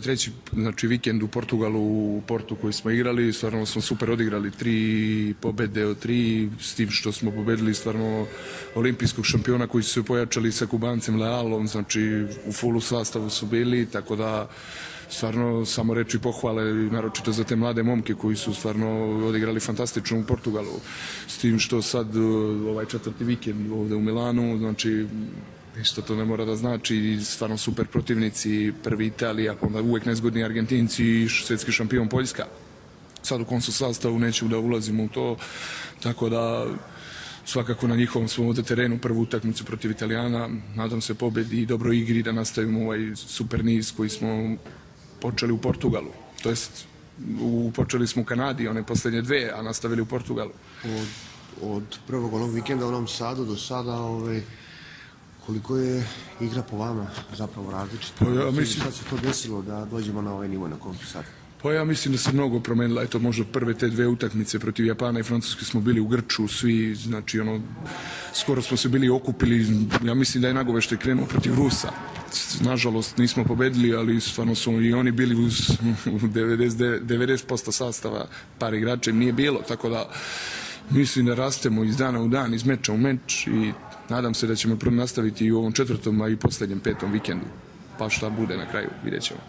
ovaj treći, znači vikend u Portugalu, u Portu koji smo igrali, stvarno smo super odigrali 3 pobede od 3, s tim što smo pobedili stvarno olimpijskog šampiona koji su se pojačali sa Kubancem Lealom, znači u fullu sastavu su bili, tako da stvarno samo reči pohvale, naročito za te mlade momke koji su stvarno odigrali fantastično u Portugalu. S tim što sad ovaj četvrti vikend ovde u Milanu, znači isto to ne mora da znači, stvarno super protivnici, prvi Italija, onda uvek nezgodni Argentinci i svetski šampion Poljska. Sad u kom su sastavu neću da ulazimo u to, tako da svakako na njihovom svom ovde terenu prvu utakmicu protiv Italijana, nadam se pobedi i dobroj igri da nastavimo ovaj super niz koji smo počeli u Portugalu, to jest počeli smo u Kanadi, one poslednje dve, a nastavili u Portugalu. Od prvog onog vikenda u Novom Sadu do sada, koliko je igra po vama zapravo različita? Sad se to desilo da dođemo na ovaj nivo na kom sad? Pa ja mislim da se mnogo promenila, eto možda prve te dve utakmice protiv Japana i Francuske smo bili u grču svi, znači skoro smo se bili okupili, ja mislim da je Nagovešte krenuo protiv Rusa. Nažalost nismo pobedili, ali stvarno su i oni bili uz 90% sastava, par igrača im nije bilo, tako da mislim da rastemo iz dana u dan, iz meča u meč i nadam se da ćemo nastaviti i u ovom četvrtom, a i poslednjem petom vikendu. Pa šta bude na kraju, vidjet ćemo.